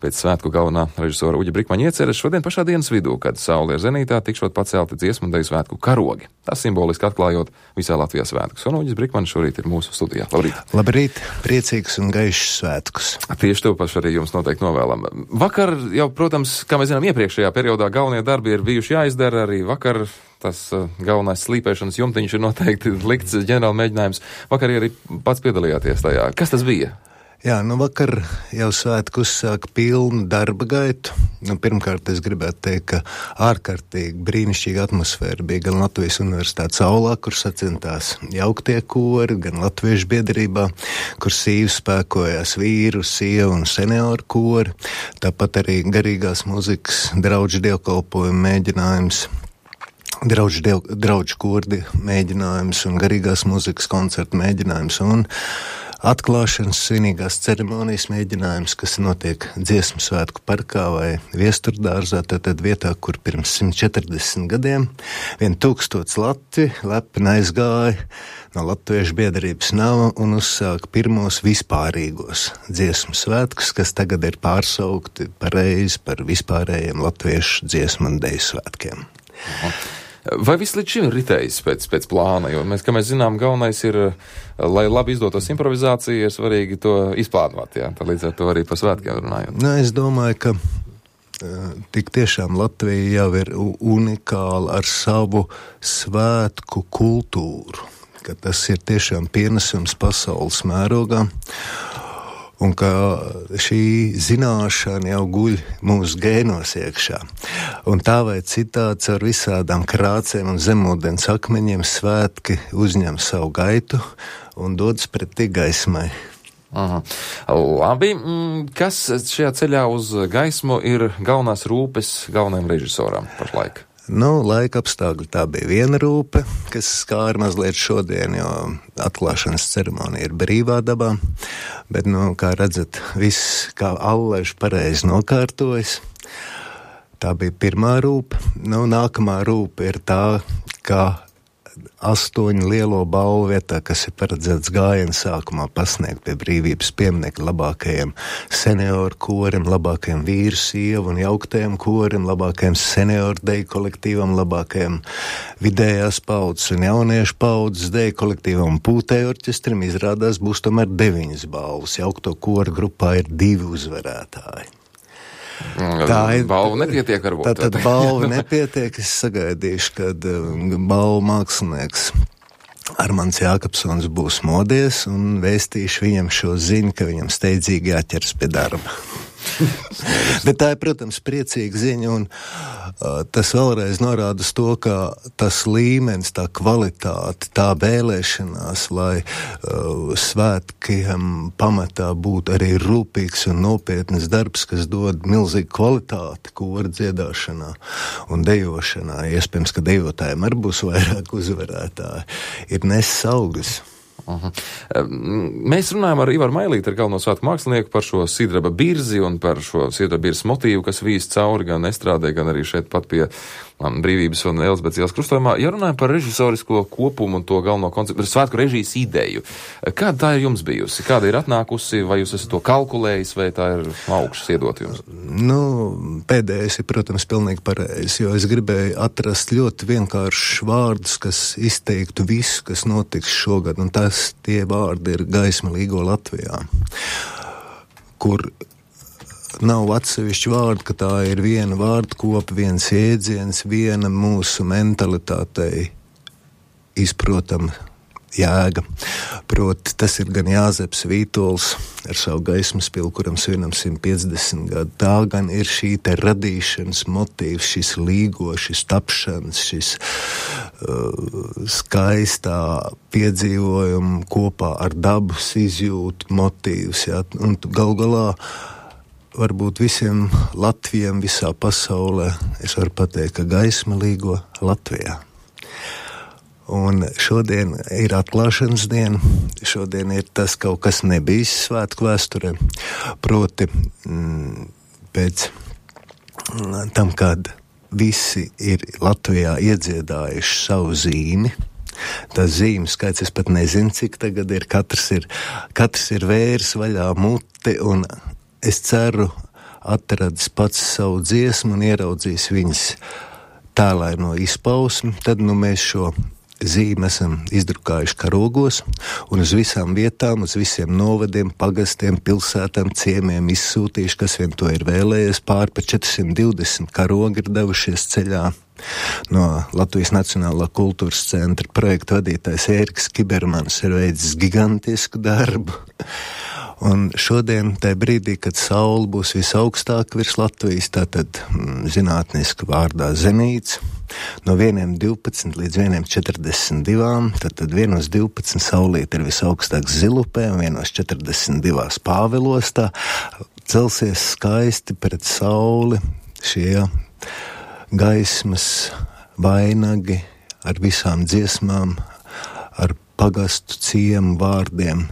Pēc svētku galvenā režisora Uģa Brikmaņa ieceres šodien pašā dienas vidū, kad saule ir zenītā, tikšot pacelti dziesmu un deju svētku karogi. Tas simboliski atklājot visā Latvijā svētkus. Un Uģis Brikmaņš šorīt ir mūsu studijā. Labrīt! Labrīt! Priecīgs un gaišs svētkus! Tieši to pašu arī jums noteikti novēlam. Vakar jau, protams, kā mēs zinām, iepriekšējā periodā galvenie darbi ir bijuši jāizdara, arī vakar tas galvenais slīpēšanas jumtiņš ir noteikti likts ģenerāla mēģinājums. Vakar arī pats piedalījāties tajā. Kas tas bija? Jā, vakar jau svētku uzsāka pilnu darba gaitu. Pirmkārt, es gribētu teikt, ka ārkārtīgi brīnišķīga atmosfēra bija gan Latvijas Universitātes aulā, kur sacentās jauktie kori, gan Latviešu biedrībā, kur sīvi spēkojās vīru, sievu un senioru kori. Tāpat arī garīgās muzikas draudžu dievkalpojumu mēģinājums. Draudžu kordi mēģinājums un garīgās muzikas koncertu mēģinājums un atklāšanas svinīgās ceremonijas mēģinājums, kas notiek Dziesmu svētku parkā vai Viesturdārzā, tad vietā, kur pirms 140 gadiem 1000 latvi lepni aizgāja no Latviešu biedrības nama un uzsāka pirmos vispārīgos dziesmu svētkus, kas tagad ir pārsaukti pareizi par vispārējiem latviešu dziesmu un deju svētkiem. Vai viss līdz šim ir ritējis pēc plāna? Jo kā mēs zinām, galvenais ir, lai labi izdotos improvizācija, ir svarīgi to izplānot, jā. Tad līdz ar to arī par svētkiem runājot. Es domāju, ka tik tiešām Latvija jau ir unikāla ar savu svētku kultūru, ka tas ir tiešām pienesums pasaules mērogā. Un ka šī zināšana jau guļ mūsu gēnos iekšā. Un tā vai citāds ar visādām krācēm un zemūdens akmeņiem svētki uzņem savu gaitu un dodas pretī gaismai. Aha. Labi, kas šajā ceļā uz gaismu ir galvenās rūpes galvenajam režisoram pašlaik? Laika apstākļi tā bija viena rūpe, kas skāra mazliet šodien, jo atklāšanas ceremonija ir brīvā dabā, bet, kā redzat, viss kā allaiž pareizi nokārtojas. Tā bija pirmā rūpe. Nākamā rūpe ir tā, ka 8 lielo balvu vietā, kas ir paredzēts gājienu sākumā pasniegt pie brīvības pieminekļa labākajiem senioru korim, labākajiem vīru, sievu un jauktajiem korim, labākajiem senioru deju kolektīvam, labākajiem vidējās paudzes un jauniešu paudzes deju kolektīvam un pūtēju orķestrim, izrādās būs tomēr 9 balvas. Jaukto koru grupā ir 2 uzvarētāji. Balvu nepietiek varbūt. Tātad balvu nepietiek, es sagaidīšu, kad balvu mākslinieks Armands Jākapsons būs modies un vēstīšu viņam šo ziņu, ka viņam steidzīgi jāķers pie darba. Bet tā ir, protams, priecīga ziņa, un tas vēlreiz norāda uz to, ka tas līmenis, tā kvalitāte, tā vēlēšanās, lai svētkiem pamatā būtu arī rūpīgs un nopietnas darbs, kas dod milzīgu kvalitāti koru dziedāšanā un dejošanā. Iespējams, ka dejotājiem arī būs vairāk uzvarētāji, ir nesis augļus. Mēs runājam ar Ivaru Mailīti, ar galveno svētku mākslinieku, par šo sidraba birzi un par šo sidraba birzes motīvu, kas vīs cauri gan estrādē, gan arī šeit pat pie Brīvības un Elizabetes ielas krustojumā. Ja runājam par režisorisko kopumu un to galveno konceptu, svētku režijas ideju, kāda tā ir jums bijusi? Kāda ir atnākusi? Vai jūs esat to kalkulējis, vai tā ir augšas iedot jums? Pēdējais ir, protams, pilnīgi pareizi, jo es gribēju atrast ļoti vienkāršus vārdus, kas izteiktu visu, kas notiks šogad, un tie vārdi ir gaisma līgo Latvijā, kur nav atsevišķi vārdi, ka tā ir viena vārdkopa, viens jēdziens, viena mūsu mentalitātei izprotama jēga. Proti, tas ir gan Jāzeps Vītols ar savu gaismas pilu, kuram svinam 150 gadu. Tā gan ir šī te radīšanas motīvs, šis līgo, šis tapšanas, šis skaistā piedzīvojuma kopā ar dabas izjūtu motīvs. Jā. Un gal galā varbūt visiem Latvijiem visā pasaulē es varu pateikt, ka gaisma līgo Latvijā. Un šodien ir atklāšanas diena, šodien ir tas kaut kas nebijis svētku vēsturē, proti pēc tam, kad visi ir Latvijā iedziedājuši savu zīmi. Tas zīmju skaits, es pat nezinu, cik tagad ir, katrs ir vērs vaļā muti, un es ceru atradis pats savu dziesmu un ieraudzījis viņas tēlaino izpausmi, tad mēs šo zīmi esam izdrukājuši karogos un uz visām vietām, uz visiem novadiem, pagastiem, pilsētām, ciemiem izsūtījuši, kas vien to ir vēlējies. Pār pa 420 karogi ir devušies ceļā. No Latvijas Nacionālā kultūras centra projekta vadītājs Ēriks Kibermans ir veicis gigantisku darbu. Un šodien, tajā brīdī, kad saule būs visaugstāk virs Latvijas, tātad zinātniski vārdā zenīts, no 1:12 līdz 1:42, tad 1:12 saulīt ir visaugstāk Zilupē un 1:42 Pāvilostā, celsies skaisti pret sauli šie gaismas vainagi ar visām dziesmām, ar pagastu ciemu vārdiem.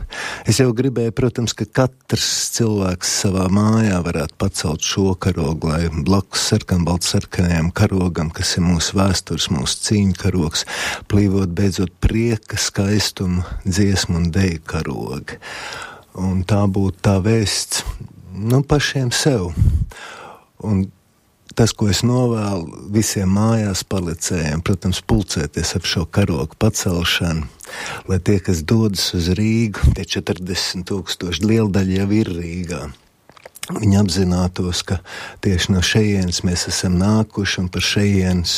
Es jau gribēju, protams, ka katrs cilvēks savā mājā varētu pacelt šo karogu, lai blakus sarkanbaltsarkanajam karogam, kas ir mūsu vēstures, mūsu cīņu karogs, plīvot beidzot prieka, skaistumu, dziesmu un deju karogi. Un tā būtu tā vēsts, pašiem sev. Un tas, ko es novēlu visiem mājās palicējiem, protams, pulcēties ap šo karogu pacelšanu, lai tie, kas dodas uz Rīgu, tie 40 000, liela daļa jau ir Rīgā. Viņi apzinātos, ka tieši no šejienes mēs esam nākuši un par šejienes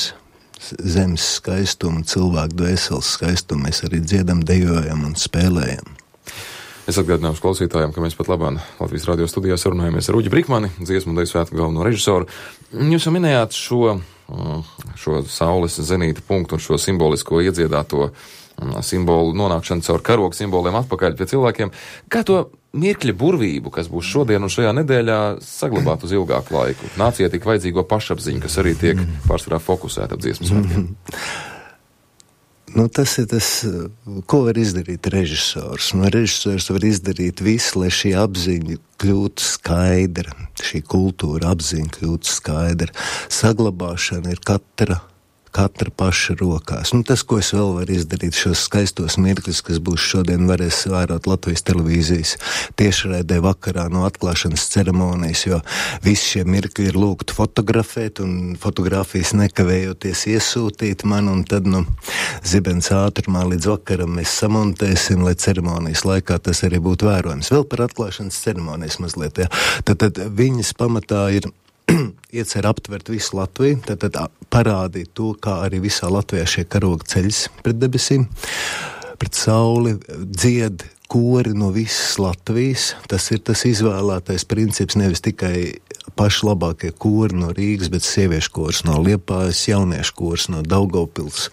zemes skaistumu, cilvēku dvēseles skaistumu mēs arī dziedam, dejojam un spēlējam. Es atgādināšu klausītājiem, ka mēs pat labāk Latvijas radio studijā sarunājamies ar Uģi Brikmani, dziesmu un deju svētku galveno režisoru. Jūs jau minējāt šo saules zenīta punktu un šo simbolisko iedziedāto simbolu nonākšanu caur karogu simboliem atpakaļ pie cilvēkiem. Kā to mirkļa burvību, kas būs šodien un šajā nedēļā, saglabāt uz ilgāku laiku? Nācijai tik vajadzīgo pašapziņu, kas arī tiek pārsvarā fokusēta ap dziesmu svētkiem. Tas ir tas, ko var izdarīt režisors. Režisors var izdarīt visu, lai šī apziņa kļūtu skaidra, šī kultūra apziņa kļūtu skaidra. Saglabāšana ir katra paša rokās. Tas, ko es vēl varu izdarīt, šos skaistos mirkļus, kas būs šodien, varēs vērot Latvijas televīzijas tiešraidē vakarā no atklāšanas ceremonijas, jo visi šie mirkļi ir lūgti fotografēt un fotogrāfijas nekavējoties iesūtīt man, un tad, zibens ātrumā līdz vakaram mēs samontēsim, lai ceremonijas laikā tas arī būtu vērojams. Vēl par atklāšanas ceremonijas mazliet, jā. Tad viņas pamatā ir iecer aptvert visu Latviju, tad parādīt to, kā arī visā Latvijā šie karogi ceļas pret debesīm, pret sauli, dzied kori no visas Latvijas. Tas ir tas izvēlētais princips, nevis tikai paši labākie kori no Rīgas, bet sieviešu kors no Liepājas, jauniešu kors no Daugavpils,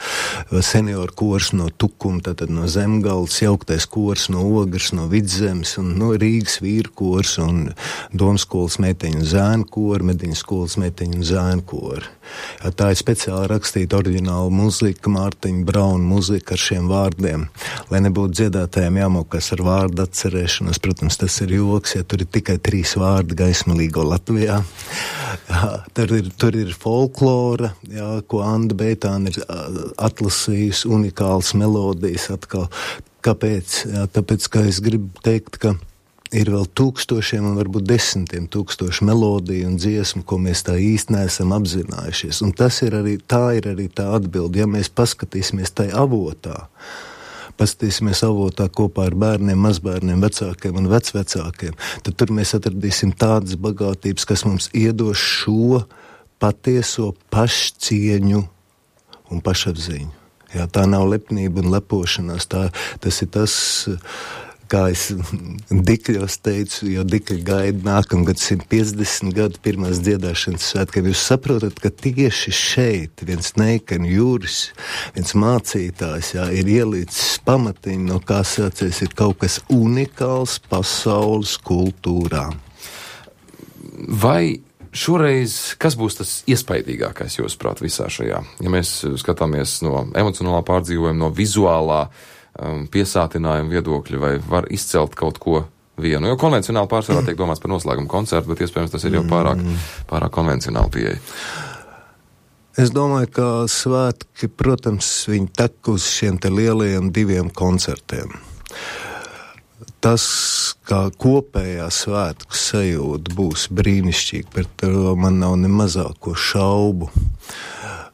senioru kors no Tukuma, tātad no Zemgales, jauktais kors no Ogres, no Vidzemes un no Rīgas vīru kors un Domskolas meiteņu un zēnu kori, Mediņu skolas meiteņu un zēnu kori. Tā ir speciāli rakstīta oriģināla muzika, Mārtiņa Brauna muzika ar šiem vārdiem, lai nebūtu dziedātājiem jāmokas ar vārdu atcerēšanos. Protams, tas ir joks, ja tur ir tikai 3 vārdi gaismalīgo Latvijā. Tur ir folklora, ko Anda Beitāna ir atlasījusi, unikāls melodijas atkal. Kāpēc? Tāpēc, ka es gribu teikt, ka ir vēl tūkstošiem un varbūt 10 000 melodiju un dziesmu, ko mēs tā īsti neesam apzinājušies. Un tā ir arī tā atbilde. Ja mēs paskatīsimies tai avotā, kopā ar bērniem, mazbērniem, vecākiem un vecvecākiem, tad tur mēs atradīsim tādas bagātības, kas mums iedos šo patieso pašcieņu un pašapziņu. Tā nav lepnība un lepošanās, tas ir tas, kā es Dikļos teicu, jo Dikļi gaida nākamgad 150 gadu pirmās dziedāšanas svētkiem. Jūs saprotat, ka tieši šeit viens Neikani Juris, viens mācītājs, ir ielicis pamatiņu, no kā sācies ir kaut kas unikāls pasaules kultūrā. Vai šoreiz, kas būs tas iespaidīgākais, jūsuprāt, visā šajā? Ja mēs skatāmies no emocionālā pārdzīvojuma, no vizuālā piesātinājuma viedokļa, vai var izcelt kaut ko vienu? Jo konvencionāli pārsvarā tiek domāts par noslēgumu koncertu, bet iespējams tas ir jau pārāk konvencionāli pieeja. Es domāju, ka svētki, protams, viņi tek uz šiem te lielajiem 2 koncertiem. tas, kā kopējā svētku sajūta būs brīnišķīga, par to man nav ne mazāko šaubu.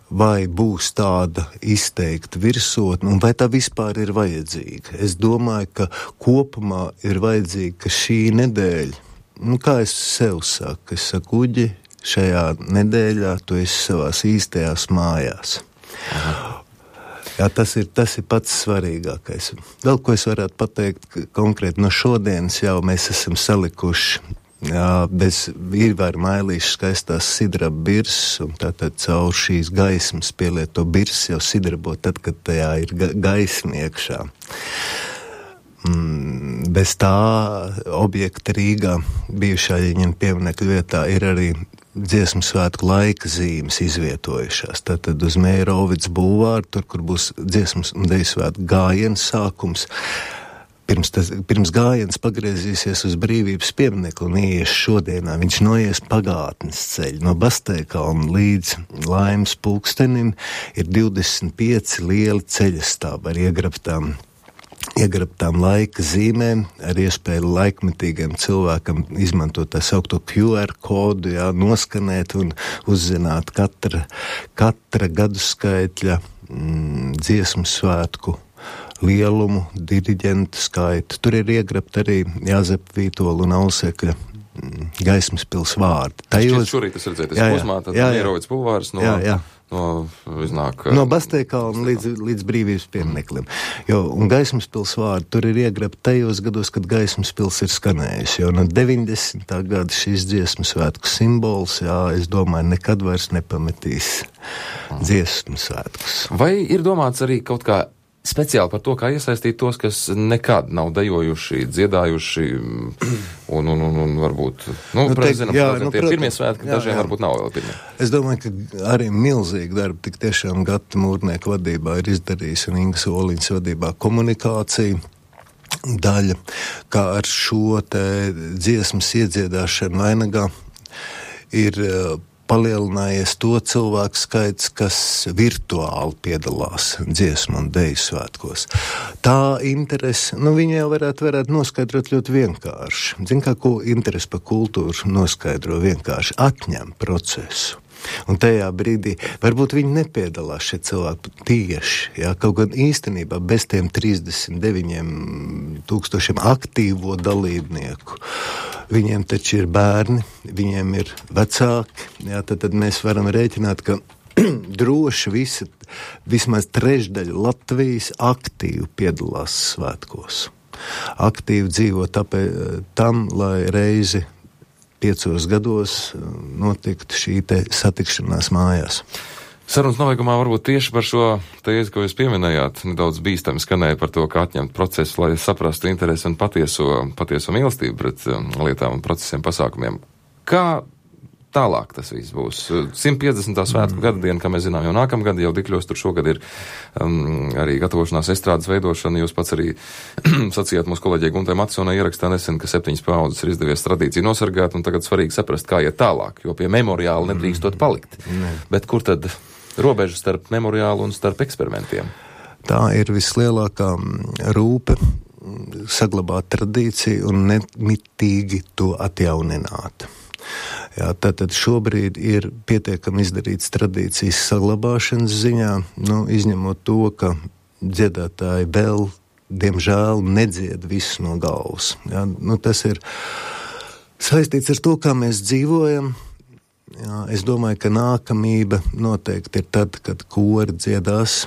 Vai būs tāda izteikta virsotne, un vai tā vispār ir vajadzīga? Es domāju, ka kopumā ir vajadzīga, ka šī nedēļa, kā es sev saku, es saku, Uģi, šajā nedēļā tu esi savās īstajās mājās. Aha. Jā, tas ir pats svarīgākais. Vēl ko es varētu pateikt konkrēti no šodienas, jau mēs esam salikuši bez vīrvēra mailīšu skaistās sidraba birzes, un tātad caur šīs gaismas pielieto birzes jau sidrabo tad, kad tajā ir gaisma iekšā. Bez tā objekta Rīgā bijušā Ļeņina pieminekļa vietā ir arī dziesmu svētku laika zīmes izvietojušās. Tātad uz Mērovids bulvāru, tur, kur būs dziesmas un deju svētku gājiens sākums, pirms gājiens pagriezīsies uz Brīvības pieminekli un ieies šodienā. Viņš noies pagātnes ceļu. No Basteikalna līdz Laimas pulkstenim ir 25 lieli ceļastāvi ar iegrabtām laika zīmēm, ar iespēju laikmetīgiem cilvēkam izmantot tā saukto QR kodu, noskanēt un uzzināt katra gadu skaitļa dziesmu svētku lielumu, diriģentu skaitu. Tur ir iegrabt arī Jāzepa Vītola un Ausekļa gaismas pils vārdi. Šorīt tas redzēt, posmā, tad Mērovids bulvārs no Basteikalna līdz Brīvības piemineklim. Un gaismas pils vārdi tur ir iegrabt tajos gados, kad gaismas pils ir skanējusi. Jo no 90. gada šīs dziesmu svētku simbols, es domāju, nekad vairs nepametīs dziesmu svētkus. Vai ir domāts arī kaut kā speciāli par to, kā iesaistīt tos, kas nekad nav dejojuši, dziedājuši un varbūt, tie pirmie svētki, dažiem varbūt nav vēl pirmie. Es domāju, ka arī milzīgi darbi tik tiešām Gata Mūrnieka vadībā ir izdarījis un Ingas Oliņas vadībā komunikācija daļa, kā ar šo te dziesmas iedziedāšanu vainagā ir palielinājies to cilvēku skaits, kas virtuāli piedalās dziesmu un deju svētkos. Tā interese, viņi jau varētu noskaidrot ļoti vienkārši. Ko interese par kultūru noskaidro vienkārši? Atņem procesu. Un tajā brīdī varbūt viņi nepiedalās šie cilvēki tieši, kaut gan īstenībā bez tiem 39 000 aktīvo dalībnieku. Viņiem taču ir bērni, viņiem ir vecāki, tad mēs varam rēķināt, ka droši vismaz trešdaļa Latvijas aktīvi piedalās svētkos. Aktīvi dzīvo tam, lai reizi 5 gados notiktu šī te satikšanās mājās. Sarunas nobeigumā varbūt tieši par šo tēzi, ko jūs pieminējāt, nedaudz bīstami skanēja par to, kā atņemt procesu, lai saprastu interesi un patieso mīlestību pret lietām un procesiem, pasākumiem. Kā tālāk tas viss būs? 150. svētku gada diena, kā mēs zinām, jau nākamgad, jau Dikļos tur šogad ir arī gatavošanās estrādes veidošana. Jūs pats arī sacījāt mūsu kolēģei Guntai Matsonai ierakstā nesen, ka 7 paudzes ir izdevies tradīciju nosargāt, un tagad svarīgi saprast, kā iet tālāk, jo pie memoriāla nedrīkstot palikt. Bet kur tad robeža starp memoriālu un starp eksperimentiem? Tā ir vislielākā rūpe saglabāt tradīciju un nemitīgi to atjaunināt. Tātad šobrīd ir pietiekami izdarīts tradīcijas saglabāšanas ziņā, izņemot to, ka dziedātāji vēl, diemžēl, nedzied visu no galvas. Tas ir saistīts ar to, kā mēs dzīvojam. Es domāju, ka nākamība noteikti ir tad, kad kori dziedās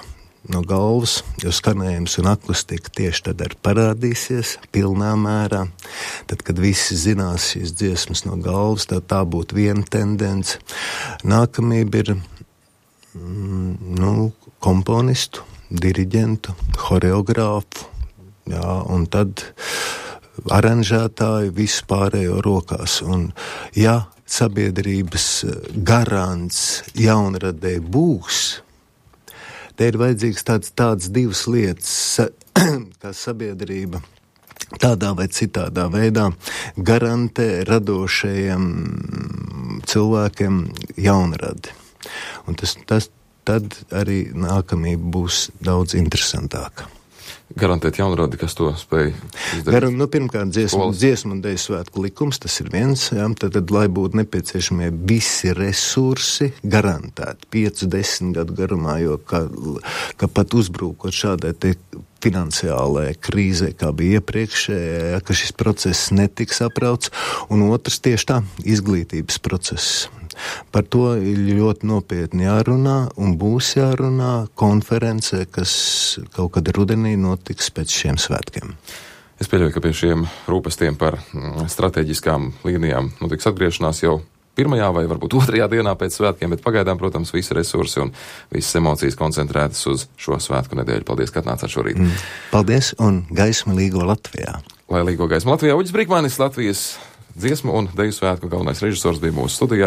no galvas, jo skanējums un akustika tieši tad arī parādīsies pilnā mērā. Tad, kad visi zinās šīs dziesmas no galvas, tā būtu viena tendence. Nākamība ir komponistu, diriģentu, horeogrāfu, un tad aranžētāju visu pārējo rokās. Un, sabiedrības garants jaunradē būs, te ir vajadzīgs tādas divas lietas, kā sabiedrība tādā vai citādā veidā garantē radošajiem cilvēkiem jaunradi. Un tad arī nākamība būs daudz interesantāka. garantēt jaunradi, kas to spēj izdarīt? Pirmkārt, dziesmu un deju svētku likums, tas ir viens, jā, tad lai būtu nepieciešamie visi resursi garantēti 5-10 gadu garumā, jo ka pat uzbrūkot šādai te finansiālajai krīzē, kā bija iepriekšējā, ka šis process netiks aprauts, un otrs tieši tā, izglītības process. Par to ir ļoti nopietni jārunā un būs jārunā konferencē, kas kaut kad rudenī notiks pēc šiem svētkiem. Es pieļauju, ka pie šiem rūpestiem par strateģiskām līnijām notiks atgriešanās jau pirmajā vai varbūt otrajā dienā pēc svētkiem, bet pagaidām, protams, visi resursi un visas emocijas koncentrētas uz šo svētku nedēļu. Paldies, ka atnācāt šorīt. Paldies un gaismu līgo Latvijā. Lai līgo gaismu Latvijā, Uģis Brīkmanis, Latvijas dziesmu un deju svētku galvenais režisors, bija mūsu studijā.